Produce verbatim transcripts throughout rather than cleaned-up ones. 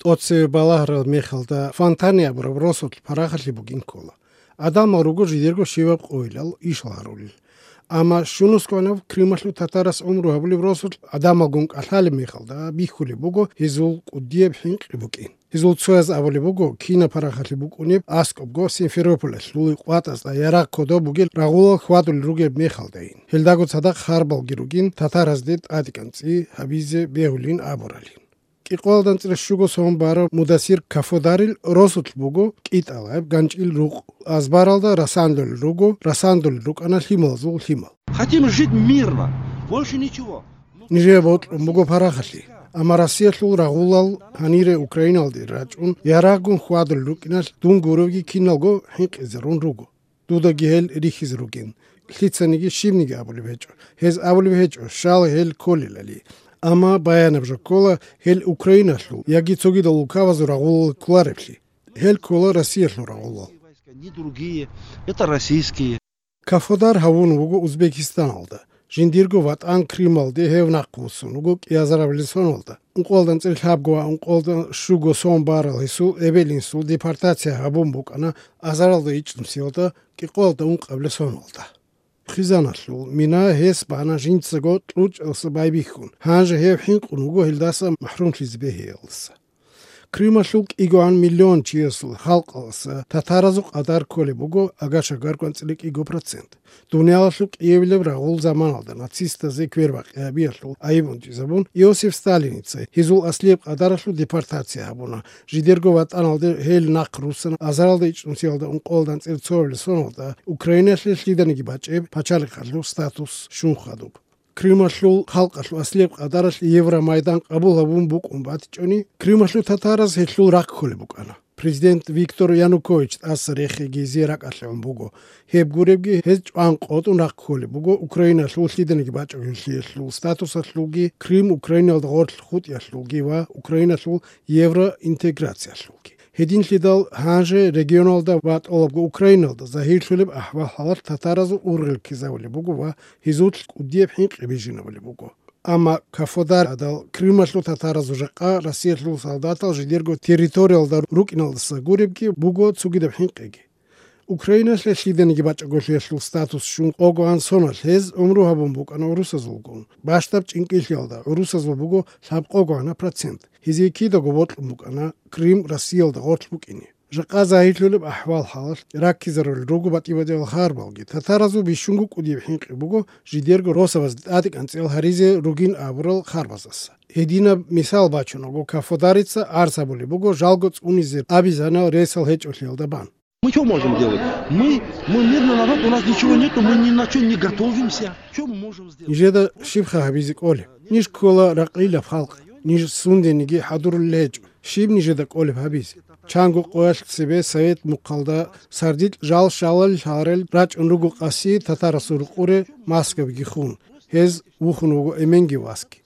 ТӀоцеве балагьарал мехалда Фонтане абураб росулъ парахалъи бугин ккола. Адамал руго жидерго щибаб къойилал ишал гьарулел. Амма щунусгӀанав Крымалъул татарас гӀумру гьабулеб росулъ адамалгун кӀалъалеб мехалда бихьулеб буго гьезул кӀудияб хӀинкъи букӀин. Гьезул цояз абулеб буго, кинаб парахалъи букӀунеб аскӀобго Симферополалъул къватӀазда ярагъ кодоб бугел рагъулал хьвадулел ругеб мехалдайин. Гьелдаго цадахъ харбалги ругин татаразде тӀадекӀанцӀи гьабизе бегьулин абуралин. КӀикъоялда анцӀила щуго сон барав Мудасир Кафодарил росулъ буго кӀитӀалаб ганчӀил рукъ. Азбаралда расандулел руго, расандулел рукӀана лъималазул лъимал. Хотим жить мирно, больше ничего. Нижее бокьун буго парахалъи. Амма Россиялъул рагъулал гьанире Украиналде рачӀун, ярагъгун хьвадулел рукӀиналъ дун гуровги киналго хӀинкъизарун руго. Дудаги гьел рихьизе ругин. Лъицаниги щибниги абулеб гьечӀо. Гьез абулеб гьечӀо, щал гьел кколелали. Амма баянаб жо ккола, гьел Украиналъул яги цогидал улкабазул рагъулал кколареблъи. Гьел ккола Россиялъул рагъулал. Не другие, это российские. Кафодар гьавун вуго Узбекистаналда, жиндирго ватӀан Крымалде гьев нахъвуссун вуго кӀиазарабилеб соналда. Ункъоялда анцӀила лъабго ва ункъоялда щуго сон барал гьесул эбел-инсул депортация гьабун букӀана азаралда ичӀнусиялда кӀикъоялда ункъабилеб соналда. Хъизаналъул мина гьес бана жинцаго кьучӀалъа байбихьун, гьанже гьев хӀинкъун вуго гьелдаса махӀрумлъизе бегьиялдаса. Крымалъул кӀигоан миллион чиясул халкъалъаса татаразул къадар кколеб буго агар-шагар кӀванцӀила кӀиго процент. Дуниялалъул кӀиабилеб рагъул заманалда нацистазе квербакъи гьабиялъул айиб гьунтӀизабун Иосиф Сталиница гьезул аслияб къадаралъул депортация гьабуна, жидерго ватӀаналде гьел нахъ руссана азаралда ичӀнусиялда ункъоялда анцӀила цоабилеб соналда Украиналъе лъиданиги бачӀеб пачалихъалъул статус щун хадуб. Крымалъул халкъалъул аслияб къадаралъ Евромайдан къабул гьабун букӀун батичӀони, Крымалъул татараз гьелъул рахъ кколеб букӀана. Президент Виктор Янукович тӀаса рехеги гьезие ракӀалъе гӀун буго. Гьеб гуребги, гьез чӀван къотӀун рахъ кколеб буго Украиналъул лъиданиги бачӀунеблъиялъул статусалъулги, Крым Украиналда гъорлъ хутӀиялъулги ва Украиналъул евроинтеграциялъулги. Гьединлъидал гьанже регионалда ва тӀолабго Украиналда загьирлъулеб ахӀвал-хӀалалъ татаразул ургъел ккезавулеб буго ва гьезулъ кӀудияб хӀинкъи бижинабулеб буго. Амма Кафодарадал Крымалъул татаразул жакъа Россиялъул солдатал жидерго территориялда рукӀиналдаса гуребги буго цогидаб хӀинкъиги. Украиналъе лъиданиги бачӀаголъиялъул статус щун къогоан соналъ гьез гӀумру гьабун букӀана урусазулгун. Бащдаб чӀинкӀиллъиялда гӀурусазул буго лъабкъогоана процент. Гьезие кидаго бокьун букӀана Крым Россиялда гъорлъ букӀине. Жакъа загьирлъулеб ахӀвал-хӀалалъ раккизарулел руго батӀи-батӀиял харбалги. Татаразул бищунго кӀудияб хӀинкъи буго жидерго росабазде тӀадекӀанцӀиял гьаризе ругин абурал харбазаса. Гьединаб мисал бачунаго, Кафодарица арц гьабулеб буго жалго цӀунизе абизанал ресал гьечӀолъиялда бан. Мы что можем делать? Мы, мы мирный народ, у нас ничего нету, мы ни на что не готовимся. Что мы можем сделать? Нижеда щибха гьабизе кӀолеб? Ниж ккола ракълилаб халкъ. Ниж сундениги хӀадурулел гьечӀо. Щиб нижеда кӀолеб гьабизе? Чанго къоялъ цебе Совет мухъалда сардилъ жал-шалалил гьарел рачӀун руго къаси татарасул рукъуре маскабиги хун. Гьез вухун вуго эменги васги.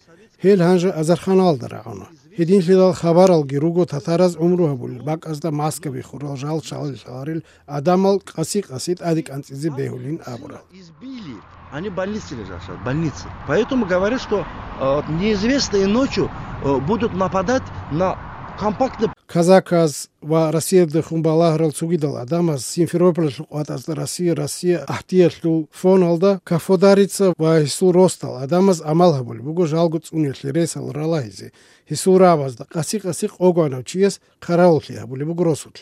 Гьел гьанже азарханалда рагӀуна. Гьединлъидал хабаралги руго татараз гӀумру гьабулел бакӀазда маскаби хурал жал-шалалил гьарел адамал къаси-къаси тӀаде кӀанцӀизе бегьулин абурал. Избили. Они в больнице лежат сейчас, в больнице. Поэтому говорят, что, э, вот неизвестные ночью, э, будут нападать на компактный. Казаказ ва Россиялдехун балагьарал цогидал адамаз Симферопольалъул къватӀазда Россия, Россия ахӀдиялъул фоналда Кафодарица ва гьесул росдал адамаз амал гьабулеб буго жалго цӀуниялъе ресал ралагьизе, гьесул рабазда къаси-къаси къогоанав чияс хъаравуллъи гьабулеб буго росулъ.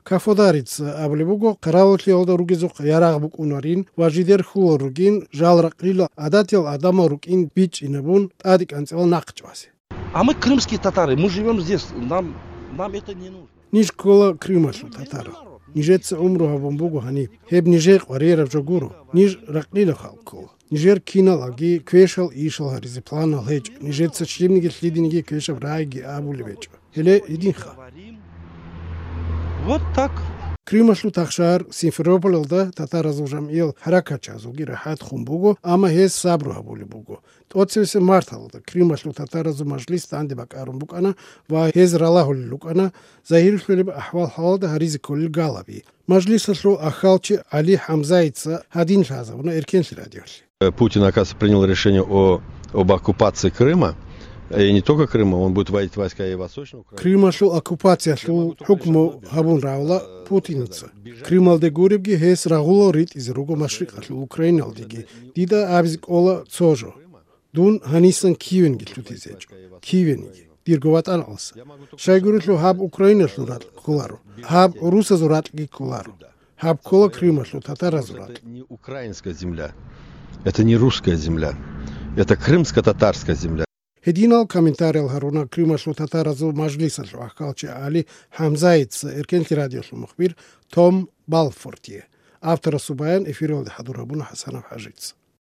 Кафодарица абулеб буго, хъаравуллъиялда ругезухъ ярагъ букӀунарин ва жидер хьулал ругин жал ракълила гӀадатиял адамал рукӀин бичӀчӀинабун тӀаде кӀанцӀила нахъ чӀвазе. А мы крымские татары, мы живём здесь, нам, нам это не нужно. Ниж ккола Крымалъул татарал. Нижеца гӀумру гьабун буго гьаниб. Гьеб нижее къваригӀараб жо гуро. Ниж ракълила халкъ ккола. Нижер киналги квешал ишал гьаризе планал гьечӀо. Нижеца щибниги лъидениги квешаб рагӀиги абулеб гьечӀо. Гьеле гьединха. Вот так. Крымалъул тахшар Симферополалда татаразул жамгӀиял хӀаракатчиязулги рахӀат хун буго, амма гьез сабру гьабулеб буго. ТӀоцевесеб марталда Крымалъул татаразул мажлис данде бакӀарун букӀана ва гьез ралагьулел рукӀана загьирлъулеб ахӀвал-хӀалалда гьаризе кколел галаби. Мажлисалъул ахьалчи ГӀали ХӀамзаица гьадин лъазабуна Эркенлъи радиолъе. Путин, оказывается, принял решение о, об оккупации Крыма. И не только Крыма, он будет вводить войска и в Восточную Украину. Крымалъул оккупациялъул хӀукму гьабун равла Путиница. Крымалде гуребги гьес рагъулал ритӀизе руго машрикъалъул Украиналдеги. Дида абизе кӀола цо жо. Дун гьанисан Киевенги лъутизе гьечӀо. Киевениги. Дирго ватӀан алса. Щайгурелъул гьаб Украиналъул ракь кколаро. Гьаб русазул ракьги кколаро. Гьаб ккола Крымалъул татаразул ракь. Это не украинская земля. Это не русская земля. Это крымско-татарская земля. Гьединал комментариял гьаруна Крымалъул татаразул мажлисалъул ахкалчи Али ХӀамзаица Эркенлъи радиолъул мухбир Том Балфортие. Авторасул баян эфиралде хӀадур гьабуна ХӀасанов ХӀажица.